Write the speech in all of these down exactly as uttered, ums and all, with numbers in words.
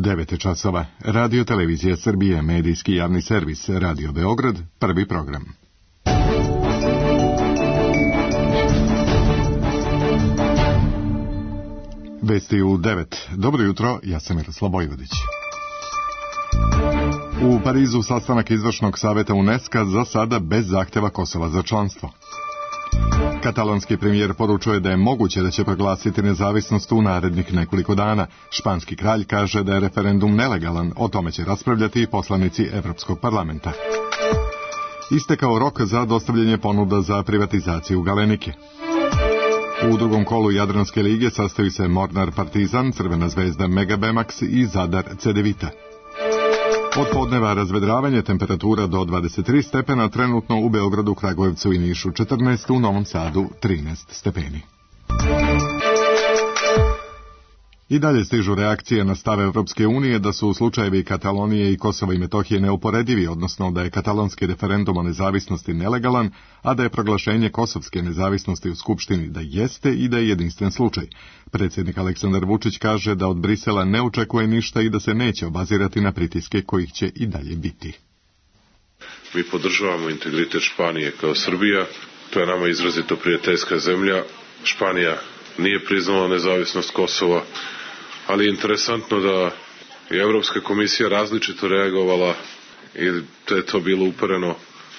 devet je časova. Radio Televizija Srbije, medijski javni servis, Radio Beograd, prvi program. Vesti u devet. Dobro jutro, ja sam Miroslav Vojvodić. U Parizu sastanak izvršnog saveta UNESCO za sada bez zahteva Kosova za članstvo. Katalonski premijer poručuje da je moguće da će proglasiti nezavisnost u narednih nekoliko dana. Španski kralj kaže da je referendum nelegalan, o tome će raspravljati i poslanici Evropskog parlamenta. Istekao rok za dostavljanje ponuda za privatizaciju Galenike. U drugom kolu Jadranske lige sastaju se Mornar Partizan, Crvena zvezda Megabemax i Zadar Cedevita. Od podneva razvedravanje, temperatura do dvadeset tri stepena, trenutno u Beogradu, Kragujevcu i Nišu četrnaest, u Novom Sadu trinaest stepeni. I dalje stižu reakcije na stav Evropske unije da su slučajevi Katalonije i Kosova i Metohije neuporedivi, odnosno da je katalonski referendum o nezavisnosti nelegalan, a da je proglašenje kosovske nezavisnosti u Skupštini da jeste i da je jedinstven slučaj. Predsjednik Aleksandar Vučić kaže da od Brisela ne očekuje ništa i da se neće obazirati na pritiske kojih će i dalje biti. Mi podržavamo integritet Španije kao Srbija, to je nama izrazito prijateljska zemlja. Španija nije priznala nezavisnost Kosova, ali je interesantno da je Evropska komisija različito reagovala i da je to bilo upereno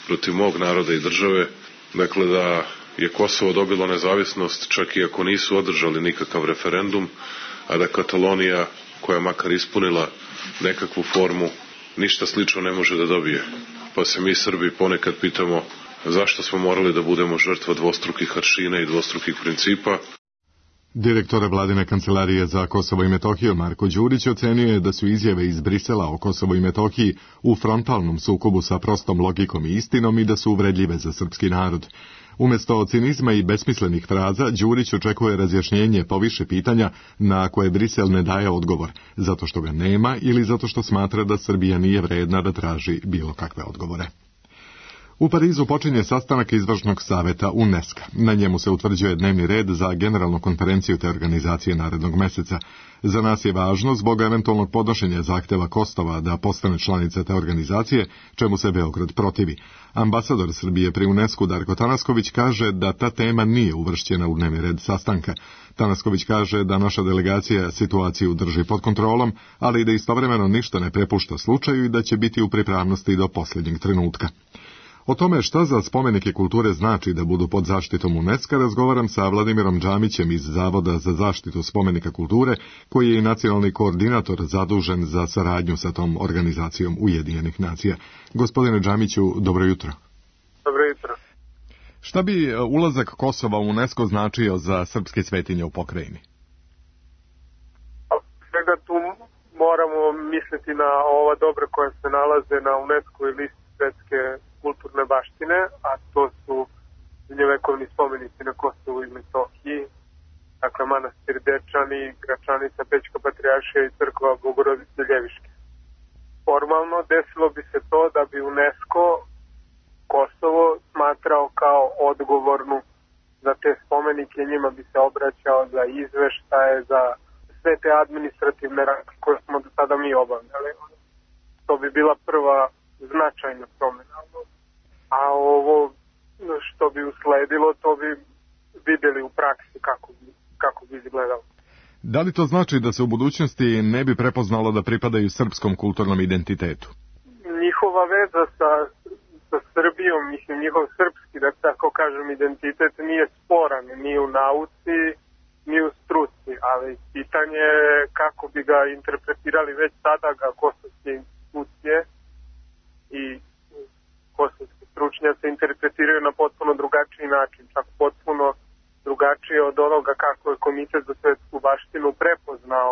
protiv mog naroda i države. Dakle, da je Kosovo dobilo nezavisnost čak i ako nisu održali nikakav referendum, a da Katalonija, koja je makar ispunila nekakvu formu, ništa slično ne može da dobije. Pa se mi Srbi ponekad pitamo zašto smo morali da budemo žrtva dvostrukih aršina i dvostrukih principa. Direktor vladine kancelarije za Kosovo i Metohiju Marko Đurić ocenio je da su izjave iz Brisela o Kosovu i Metohiji u frontalnom sukobu sa prostom logikom i istinom i da su uvredljive za srpski narod. Umjesto cinizma i besmislenih fraza, Đurić očekuje razjašnjenje po više pitanja na koje Brisel ne daje odgovor, zato što ga nema ili zato što smatra da Srbija nije vredna da traži bilo kakve odgovore. U Parizu počinje sastanak izvršnog saveta UNESCO. Na njemu se utvrđuje dnevni red za generalnu konferenciju te organizacije narednog meseca. Za nas je važno zbog eventualnog podnošenja zahteva Kosova da postane članica te organizacije, čemu se Beograd protivi. Ambasador Srbije pri UNESCO Darko Tanasković kaže da ta tema nije uvršćena u dnevni red sastanka. Tanasković kaže da naša delegacija situaciju drži pod kontrolom, ali da istovremeno ništa ne prepušta slučaju i da će biti u pripravnosti do posljednjeg trenutka. O tome šta za spomenike kulture znači da budu pod zaštitom UNESCO razgovaram sa Vladimirom Džamićem iz Zavoda za zaštitu spomenika kulture, koji je i nacionalni koordinator zadužen za saradnju sa tom organizacijom Ujedinjenih nacija. Gospodine Džamiću, dobro jutro. Dobro jutro. Šta bi ulazak Kosova u UNESCO značio za srpske svetinje u pokrajini? Svega tu moramo misliti na ova dobra koja se nalaze na UNESCO-voj listi svetske kulturne baštine, a to su srednjovekovni spomenici na Kosovu i Metohiji, dakle manastir Dečani, Gračanica, Pećka Patrijaršija i crkva Bogorodice Ljeviške. Formalno desilo bi se to da bi UNESCO Kosovo smatrao kao odgovornu za te spomenike, njima bi se obraćao za izveštaje, za sve te administrativne radnje koje smo do sada mi obavljali. To bi bila prva značajna promjena. A ovo što bi usledilo, to bi vidjeli u praksi kako bi, kako bi izgledalo. Da li to znači da se u budućnosti ne bi prepoznalo da pripadaju srpskom kulturnom identitetu? Njihova veza sa, sa Srbijom, mislim, njihov srpski, da tako kažem, identitet nije sporan ni u nauci, ni u struci, ali pitanje je kako bi ga interpretirali već sada ga kosovske institucije i kosovski stručnjaci interpretiraju na potpuno drugačiji način, čak potpuno drugačije od onoga kako je Komitet za svetsku baštinu prepoznao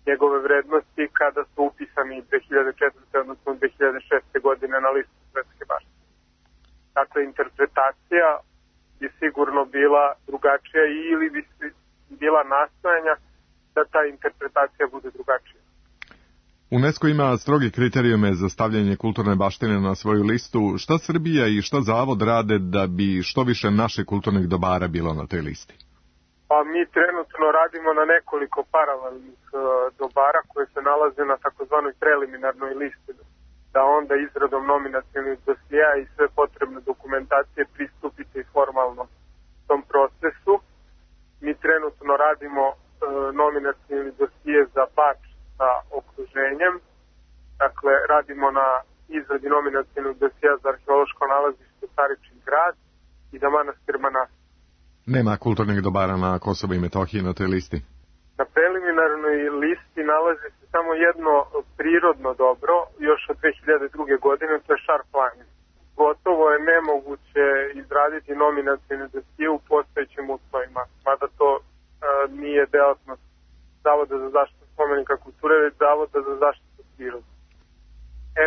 njegove vrednosti kada su upisani dve hiljade četvrte. odnosno dve hiljade šeste. godine na listu svetske baštine. Dakle, interpretacija je sigurno bila drugačija ili bi bila nastojanja da ta interpretacija bude drugačija. UNESCO ima strogi kriterijume za stavljanje kulturne baštine na svoju listu. Šta Srbija i šta Zavod rade da bi što više naših kulturnih dobara bilo na toj listi? Pa mi trenutno radimo na nekoliko paralelnih uh, dobara koje se nalaze na takozvanoj preliminarnoj listi, da onda izradom nominacionih dosija i sve potrebne dokumentacije pristupite i formalno tom procesu. Mi trenutno radimo e, nominacioni dosije za Bač sa okruženjem, dakle radimo na izradi nominacionog dosija za arheološko nalazište Staričin grad i za manastir Manastir. Nema kulturnih dobara na Kosovo i Metohiji na toj listi? Na preliminarnoj listi nalazi se samo jedno prirodno dobro, još od dve hiljade druge. godine, to je Šar planin. Gotovo je nemoguće izraditi nominacione dosije u postojećim uslovima, mada to e, nije delatnost Zavoda za zaštitu spomenika kulture, već Zavoda za zaštitu prirode.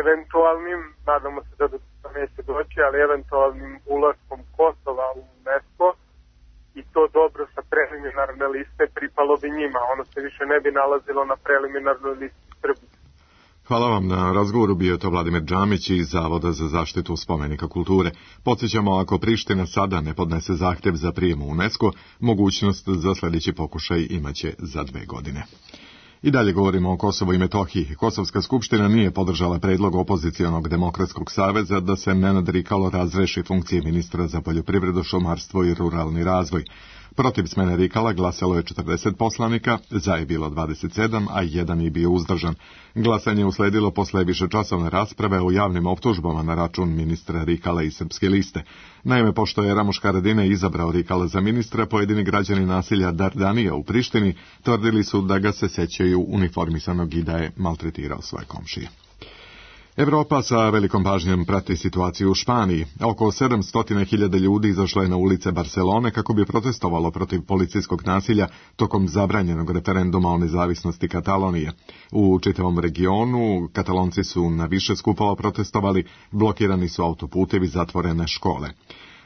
Eventualnim, nadamo se da do toga neće doći, ali eventualnim ulaskom Kosova u UNESCO i to dobro sa preliminarne liste pripalo bi njima. Ono se više ne bi nalazilo na preliminarnoj listi Srbije. Hvala vam na razgovoru, bio je to Vladimir Džamić iz Zavoda za zaštitu spomenika kulture. Podsjećamo, ako Priština sada ne podnese zahtjev za prijem u UNESCO, mogućnost za sljedeći pokušaj imaće za dve godine. I dalje govorimo o Kosovu i Metohiji. Kosovska skupština nije podržala predlog opozicionog Demokratskog saveza da se Nenad Rikalo razreši funkcije ministra za poljoprivredu, šumarstvo i ruralni razvoj. Protiv smene Rikala glasalo je četrdeset poslanika, za je bilo dvadeset sedam, a jedan je bio uzdržan. Glasanje je usledilo posle višečasovne rasprave o javnim optužbama na račun ministra Rikala i Srpske liste. Naime, pošto je Ramuš Haradinaj izabrao Rikala za ministra, pojedini građani naselja Dardanija u Prištini tvrdili su da ga se sećaju uniformisanog i da je maltretirao svoje komšije. Evropa sa velikom pažnjom prati situaciju u Španiji. Oko sedamsto hiljada ljudi izašlo je na ulice Barcelone kako bi protestovalo protiv policijskog nasilja tokom zabranjenog referenduma o nezavisnosti Katalonije. U čitavom regionu Katalonci su na više skupova protestovali, blokirani su autoputevi, zatvorene škole.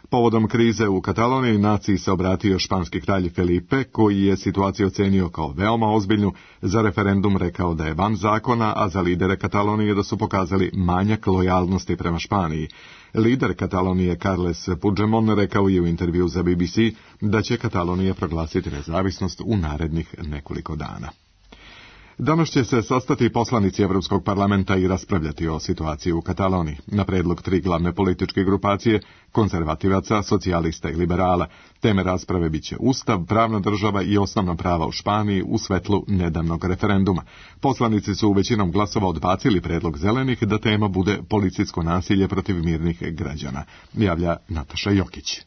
Povodom krize u Kataloniji naciji se obratio španski kralj Felipe, koji je situaciju ocenio kao veoma ozbiljnu, za referendum rekao da je van zakona, a za lidere Katalonije da su pokazali manjak lojalnosti prema Španiji. Lider Katalonije Carles Puigdemont rekao je u intervju za B B C da će Katalonija proglasiti nezavisnost u narednih nekoliko dana. Danas će se sastati poslanici Evropskog parlamenta i raspravljati o situaciji u Kataloniji, na predlog tri glavne političke grupacije, konzervativaca, socijalista i liberala. Teme rasprave biće Ustav, pravna država i osnovna prava u Španiji u svetlu nedavnog referenduma. Poslanici su većinom glasova odbacili predlog zelenih da tema bude policijsko nasilje protiv mirnih građana, javlja Nataša Jokić.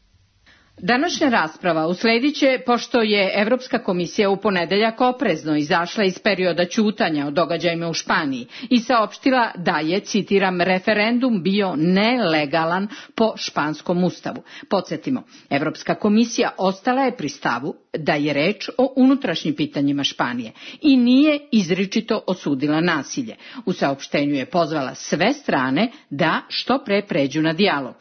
Današnja rasprava usledit će pošto je Evropska komisija u ponedeljak oprezno izašla iz perioda ćutanja o događajima u Španiji i saopštila da je, citiram, referendum bio nelegalan po španskom ustavu. Podsjetimo, Evropska komisija ostala je pri stavu da je reč o unutrašnjim pitanjima Španije i nije izričito osudila nasilje. U saopštenju je pozvala sve strane da što pre pređu na dijalog.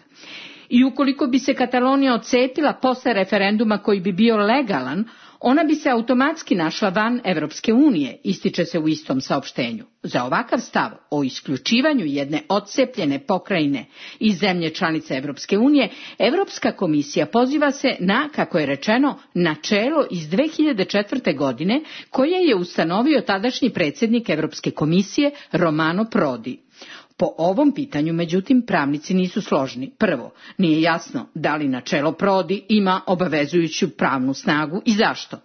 I ukoliko bi se Katalonija odcepila posle referenduma koji bi bio legalan, ona bi se automatski našla van Evropske unije, ističe se u istom saopštenju. Za ovakav stav o isključivanju jedne odcepljene pokrajine iz zemlje članice Evropske unije, Evropska komisija poziva se na, kako je rečeno, načelo iz dve hiljade četvrte. godine, koje je ustanovio tadašnji predsjednik Evropske komisije Romano Prodi. Po ovom pitanju, međutim, pravnici nisu složni. Prvo, nije jasno da li načelo Prodi ima obavezujuću pravnu snagu i zašto.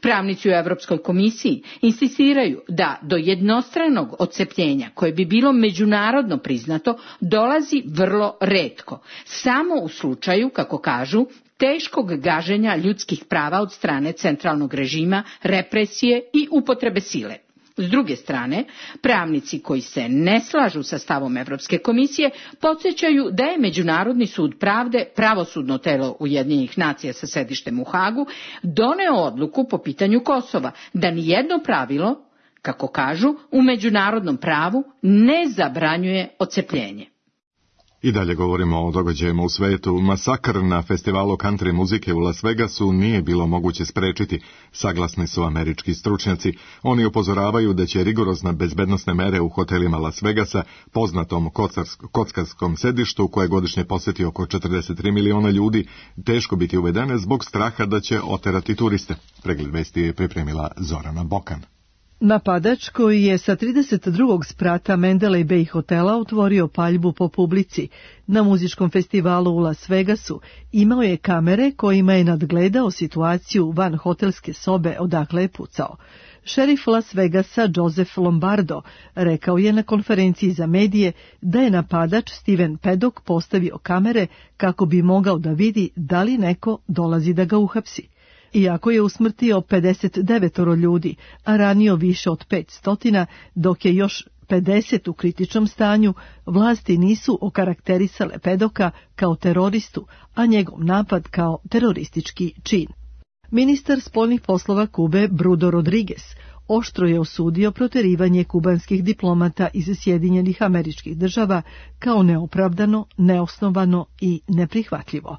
Pravnici u Evropskoj komisiji insistiraju da do jednostranog odcepljenja, koje bi bilo međunarodno priznato, dolazi vrlo retko. Samo u slučaju, kako kažu, teškog gaženja ljudskih prava od strane centralnog režima, represije i upotrebe sile. S druge strane, pravnici koji se ne slažu sa stavom Evropske komisije podsjećaju da je Međunarodni sud pravde, pravosudno telo Ujedinjenih nacija sa sedištem u Hagu, doneo odluku po pitanju Kosova, da nijedno pravilo, kako kažu, u međunarodnom pravu ne zabranjuje odcepljenje. I dalje govorimo o događajima u svetu. Masakr na festivalu country muzike u Las Vegasu nije bilo moguće sprečiti, saglasni su američki stručnjaci. Oni upozoravaju da će rigorozne bezbednosne mere u hotelima Las Vegasa, poznatom kockarskom sedištu koje godišnje posjeti oko četrdeset tri miliona ljudi, teško biti uvedene zbog straha da će oterati turiste. Pregled vesti je pripremila Zorana Bokan. Napadač koji je sa trideset drugog sprata Mandalay Bay hotela otvorio paljbu po publici na muzičkom festivalu u Las Vegasu imao je kamere kojima je nadgledao situaciju van hotelske sobe odakle je pucao. Šerif Las Vegasa Joseph Lombardo rekao je na konferenciji za medije da je napadač Steven Paddock postavio kamere kako bi mogao da vidi da li neko dolazi da ga uhapsi. Iako je usmrtio pedeset devet ljudi, a ranio više od petsto, dok je još pedeset u kritičnom stanju, vlasti nisu okarakterisale Paddocka kao teroristu, a njegov napad kao teroristički čin. Ministar spoljnih poslova Kube Bruno Rodriguez oštro je osudio proterivanje kubanskih diplomata iz Sjedinjenih Američkih Država kao neopravdano, neosnovano i neprihvatljivo.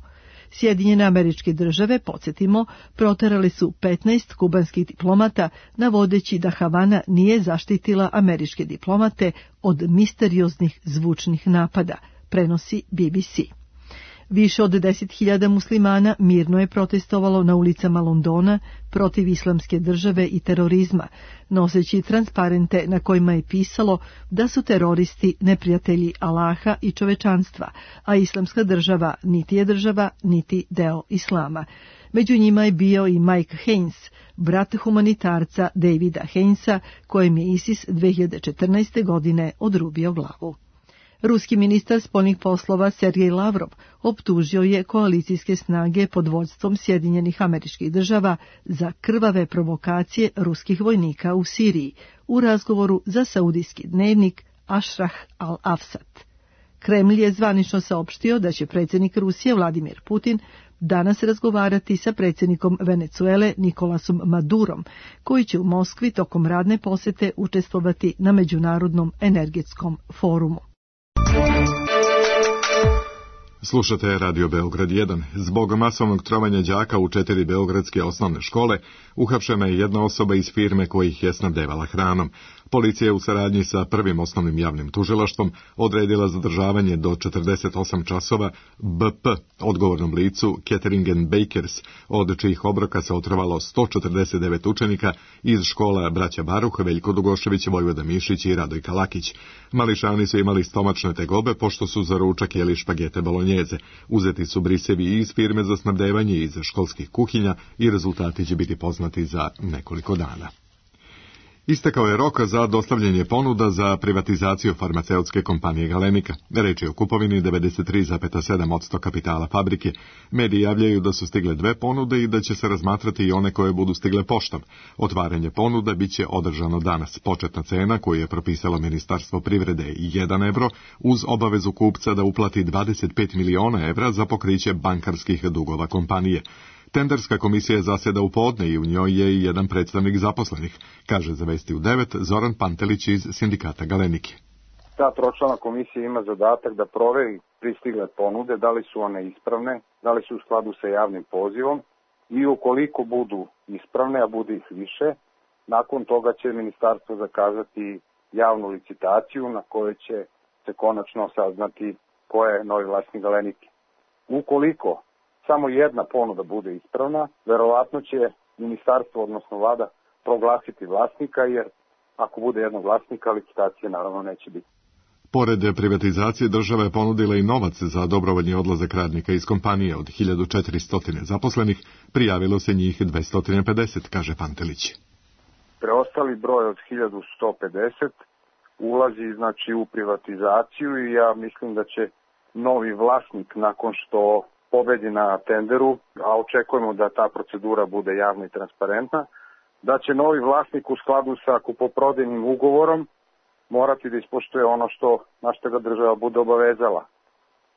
Sjedinjene Američke Države, podsjetimo, proterali su petnaest kubanskih diplomata, navodeći da Havana nije zaštitila američke diplomate od misterioznih zvučnih napada, prenosi B B C. Više od deset hiljada muslimana mirno je protestovalo na ulicama Londona protiv islamske države i terorizma, noseći transparente na kojima je pisalo da su teroristi neprijatelji Allaha i čovečanstva, a islamska država niti je država, niti deo islama. Među njima je bio i Mike Haynes, brat humanitarca Davida Hainesa, kojem je ISIS dve hiljade četrnaeste. godine odrubio glavu. Ruski ministar spoljnih poslova Sergej Lavrov optužio je koalicijske snage pod vodstvom Sjedinjenih Američkih Država za krvave provokacije ruskih vojnika u Siriji u razgovoru za saudijski dnevnik Ashrah al-Afsat. Kremlj je zvanično saopštio da će predsjednik Rusije Vladimir Putin danas razgovarati sa predsjednikom Venecuele Nikolasom Madurom, koji će u Moskvi tokom radne posete učestvovati na Međunarodnom energetskom forumu. Slušate Radio Beograd jedan. Zbog masovnog trovanja đaka u četiri beogradske osnovne škole uhapšena je jedna osoba iz firme koja ih je snabdevala hranom. Policija je u saradnji sa prvim osnovnim javnim tužilaštvom odredila zadržavanje do četrdeset osam časova B P, odgovornom licu Catering and Bakers, od čijih obroka se otrovalo sto četrdeset devet učenika iz škola Braća Baruh, Veljko Dugošević, Vojvoda Mišić i Radojka Lakić. Mališani su imali stomačne tegobe pošto su za ručak jeli špagete bolonjeze. Uzeti su brisevi i iz firme za snabdevanje i iz školskih kuhinja i rezultati će biti poznati za nekoliko dana. Istekao je rok za dostavljanje ponuda za privatizaciju farmaceutske kompanije Galenika. Reč je o kupovini devedeset tri zarez sedam posto kapitala fabrike. Mediji javljaju da su stigle dve ponude i da će se razmatrati i one koje budu stigle poštom. Otvaranje ponuda bit će održano danas. Početna cena koju je propisalo Ministarstvo privrede je jedan evro, uz obavezu kupca da uplati dvadeset pet miliona evra za pokriće bankarskih dugova kompanije. Tenderska komisija zasjeda u podne i u njoj je i jedan predstavnik zaposlenih, kaže za Vesti u devet Zoran Pantelić iz sindikata Galenike. Ta tročlana komisija ima zadatak da proveri pristigle ponude, da li su one ispravne, da li su u skladu sa javnim pozivom i ukoliko budu ispravne, a bude ih više, nakon toga će ministarstvo zakazati javnu licitaciju na kojoj će se konačno saznati ko je novi vlasnik Galenike. Ukoliko samo jedna ponuda bude ispravna, verovatno će ministarstvo, odnosno vlada, proglasiti vlasnika, jer ako bude jednog vlasnika, licitacije naravno neće biti. Pored privatizacije, država je ponudila i novac za dobrovoljni odlazak radnika iz kompanije. Od hiljadu četiristo zaposlenih prijavilo se njih dvesta pedeset, kaže Pantelić. Preostali broj od hiljadu sto pedeset ulazi znači u privatizaciju i ja mislim da će novi vlasnik, nakon što pobedi na tenderu, a očekujemo da ta procedura bude javna i transparentna, da će novi vlasnik u skladu sa kupoprodajnim ugovorom morati da ispoštuje ono što na što ga država bude obavezala.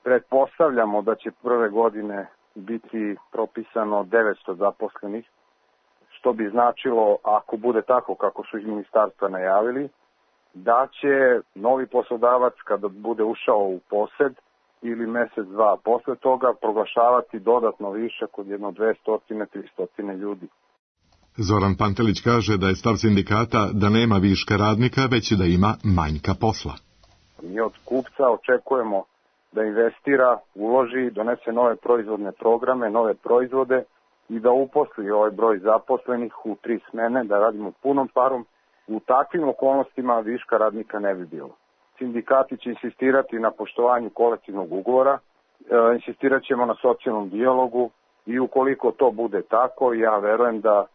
Pretpostavljamo da će prve godine biti propisano devetsto zaposlenih, što bi značilo, ako bude tako kako su iz ministarstva najavili, da će novi poslodavac kada bude ušao u posed ili mesec, dva posle toga proglašavati dodatno višak od jedno dvesta do trista ljudi. Zoran Pantelić kaže da je stav sindikata da nema viška radnika, već da ima manjka posla. Mi od kupca očekujemo da investira, uloži, donese nove proizvodne programe, nove proizvode i da uposli ovaj broj zaposlenih u tri smene, da radimo punom parom U takvim okolnostima viška radnika ne bi bilo. Sindikati će insistirati na poštovanju kolektivnog ugovora, e, insistirat ćemo na socijalnom dijalogu i ukoliko to bude tako, ja verujem da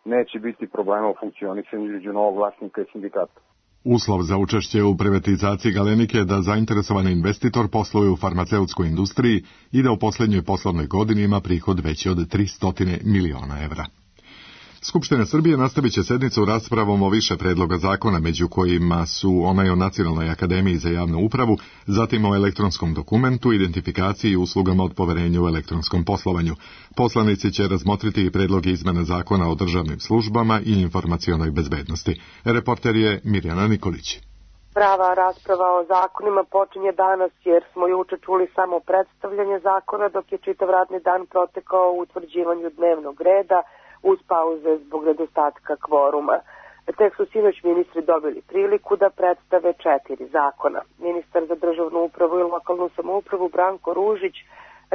neće biti problema u funkcionisanju između novog vlasnika i sindikata. Uslov za učešće u privatizaciji Galenike je da zainteresovani investitor posluje u farmaceutskoj industriji i da u posljednjoj poslovnoj godini ima prihod veći od tristo miliona evra. Skupština Srbije nastavit će sednicu raspravom o više predloga zakona, među kojima su onaj o Nacionalnoj akademiji za javnu upravu, zatim o elektronskom dokumentu, identifikaciji i uslugama od poverenja u elektronskom poslovanju. Poslanici će razmotriti i predloge izmena zakona o državnim službama i informacionoj bezbednosti. Reporter je Mirjana Nikolić. Prava rasprava o zakonima počinje danas jer smo juče čuli samo predstavljanje zakona, dok je čitav radni dan protekao u utvrđivanju dnevnog reda, uz pauze zbog nedostatka kvoruma. Tek su sinoć ministri dobili priliku da predstave četiri zakona. Ministar za državnu upravu i lokalnu samoupravu Branko Ružić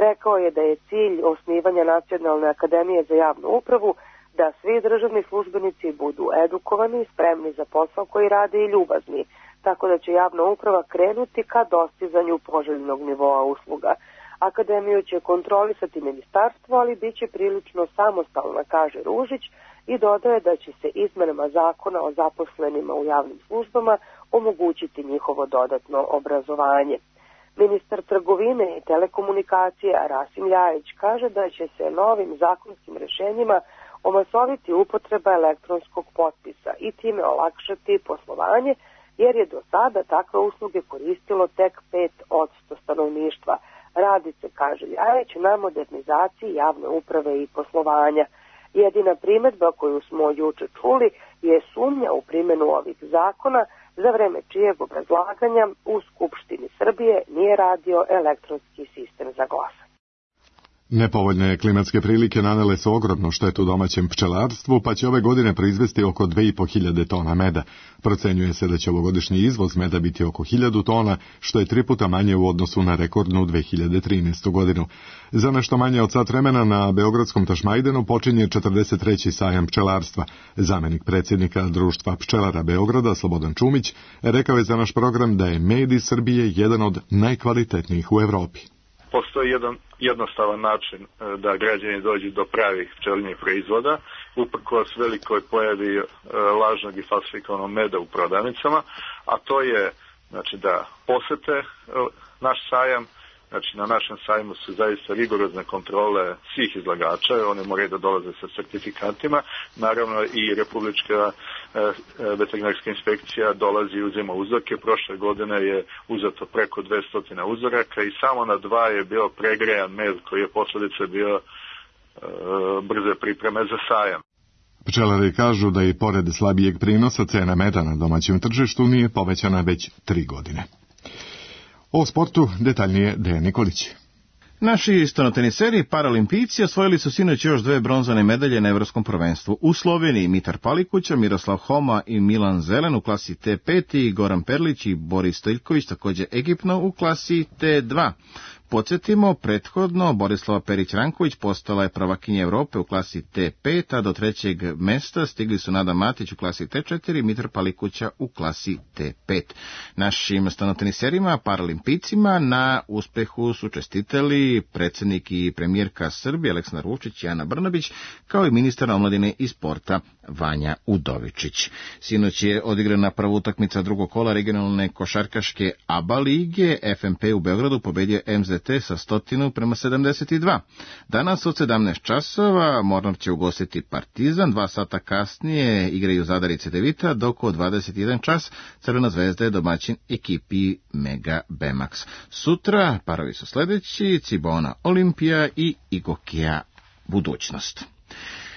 rekao je da je cilj osnivanja Nacionalne akademije za javnu upravu da svi državni službenici budu edukovani, spremni za posao koji rade i ljubazni, tako da će javna uprava krenuti ka dostizanju poželjnog nivoa usluga. Akademiju će kontrolisati ministarstvo, ali bit će prilično samostalna, kaže Ružić, i dodaje da će se izmenama zakona o zaposlenima u javnim službama omogućiti njihovo dodatno obrazovanje. Ministar trgovine i telekomunikacije Rasim Ljajić kaže da će se novim zakonskim rešenjima omasoviti upotreba elektronskog potpisa i time olakšati poslovanje, jer je do sada takve usluge koristilo tek pet posto stanovništva. Radi se, kaže Ljajić, na modernizaciji javne uprave i poslovanja. Jedina primedba koju smo juče čuli je sumnja u primjenu ovih zakona, za vreme čijeg obrazlaganja u Skupštini Srbije nije radio elektronski sistem za glasanje. Nepovoljne klimatske prilike nanele su ogromnu štetu domaćem pčelarstvu, pa će ove godine proizvesti oko dve i po hiljade tona meda. Procenjuje se da će ovogodišnji izvoz meda biti oko hiljadu tona, što je tri puta manje u odnosu na rekordnu dve hiljade trinaestu godinu. Za nešto manje od sat vremena na Beogradskom Tašmajdenu počinje četrdeset treći sajam pčelarstva. Zamenik predsjednika Društva pčelara Beograda, Slobodan Čumić, rekao je za naš program da je med iz Srbije jedan od najkvalitetnijih u Evropi. Postoji jedan jednostavan način da građani dođu do pravih pčelinjih proizvoda, uprkos velikoj pojavi lažnog i falsifikovanog meda u prodavnicama, a to je znači, da posete naš sajam. Znači, na našem sajmu su zaista rigorozne kontrole svih izlagača, one moraju da dolaze sa certifikatima. Naravno i Republička e, veterinarska inspekcija dolazi i uzima uzorke. Prošle godine je uzeto preko dvesta uzoraka i samo na dva je bio pregrejan med koji je posljedica bio e, brze pripreme za sajam. Pčelari kažu da i pored slabijeg prinosa cena meda na domaćem tržištu nije povećana već tri godine. O sportu detaljnije Dejan Nikolić. Naši stanoteniseri paralimpijci osvojili su sinoć još dve bronzane medalje na Evropskom prvenstvu. U Sloveniji Mitar Palikuća, Miroslav Homa i Milan Zelen u klasi T pet i Goran Perlić i Boris Stoljković također ekipno u klasi T dva. Podsjetimo, prethodno Borislava Perić-Ranković postala je prvakinja Evrope u klasi T pet, a do trećeg mesta stigli su Nada Matić u klasi T četiri i Mitar Palikuća u klasi T pet. Našim stanoteniserima, paralimpijcima na uspehu su čestitali predsjednik i premijerka Srbije Aleksandar Vučić i Ana Brnabić, kao i ministar omladine i sporta Vanja Udovičić. Sinoć je odigrana prva utakmica drugog kola regionalne košarkaške A B A lige. F M P u Beogradu pobedio M Z T sa stotinu prema sedamdeset dva. Danas od sedamnaest časova Mornar će ugostiti Partizan, dva sata kasnije igraju Zadar i Cedevita, dok od dvadeset jedan čas Crvena zvezda je domaćin ekipi Mega Bemax. Sutra parovi su sljedeći: Cibona Olimpija i Igokija Budućnost.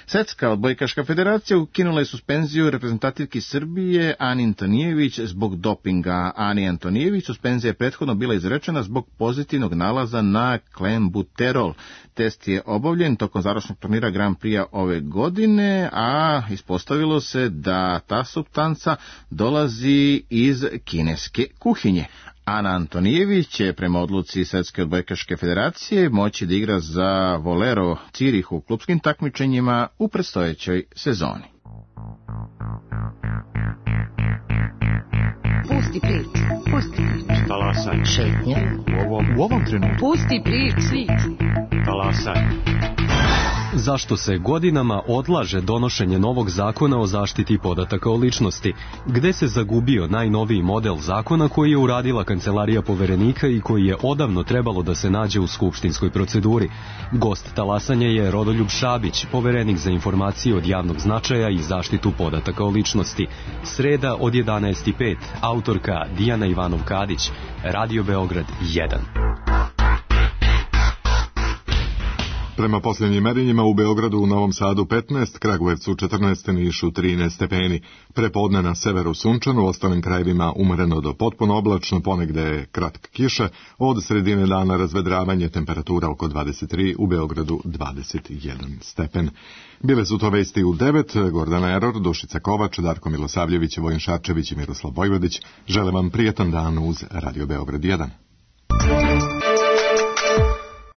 Svetska odbojkaška federacija ukinula je suspenziju reprezentativki Srbije Ani Antonijević zbog dopinga. Ani Antonijević suspenzija je prethodno bila izrečena zbog pozitivnog nalaza na klenbuterol. Test je obavljen tokom završnog turnira Grand Prix ove godine, a ispostavilo se da ta supstanca dolazi iz kineske kuhinje. Ana Antonijević će prema odluci Svetske odbojkaške federacije moći da igra za Volero Cirih u klupskim takmičenjima u predstojećoj sezoni. Pusti priču, pusti priču. Talasaj. Šetnja. U ovom, u ovom trenutku. Pusti priču. Talasaj. Zašto se godinama odlaže donošenje novog zakona o zaštiti podataka o ličnosti? Gde se zagubio najnoviji model zakona koji je uradila Kancelarija poverenika i koji je odavno trebalo da se nađe u skupštinskoj proceduri? Gost talasanja je Rodoljub Šabić, poverenik za informacije od javnog značaja i zaštitu podataka o ličnosti. Sreda od jedanaest i pet, autorka Dijana Ivanov-Kadić, Radio Beograd jedan. Prema posljednjim merenjima u Beogradu, u Novom Sadu petnaest, Kragujevcu četrnaest, Nišu trinaest stepeni. Prepodne na severu sunčano, u ostalim krajevima umereno do potpuno oblačno, ponegde je kratka kiša, od sredine dana razvedravanje, temperatura oko dvadeset tri, u Beogradu dvadeset jedan stepen. Bile su to vesti u devet, Gordana Eror, Dušica Kovač, Darko Milosavljević, Vojin Šarčević i Miroslav Vojvodić. Žele vam prijetan dan uz Radio Beograd jedan.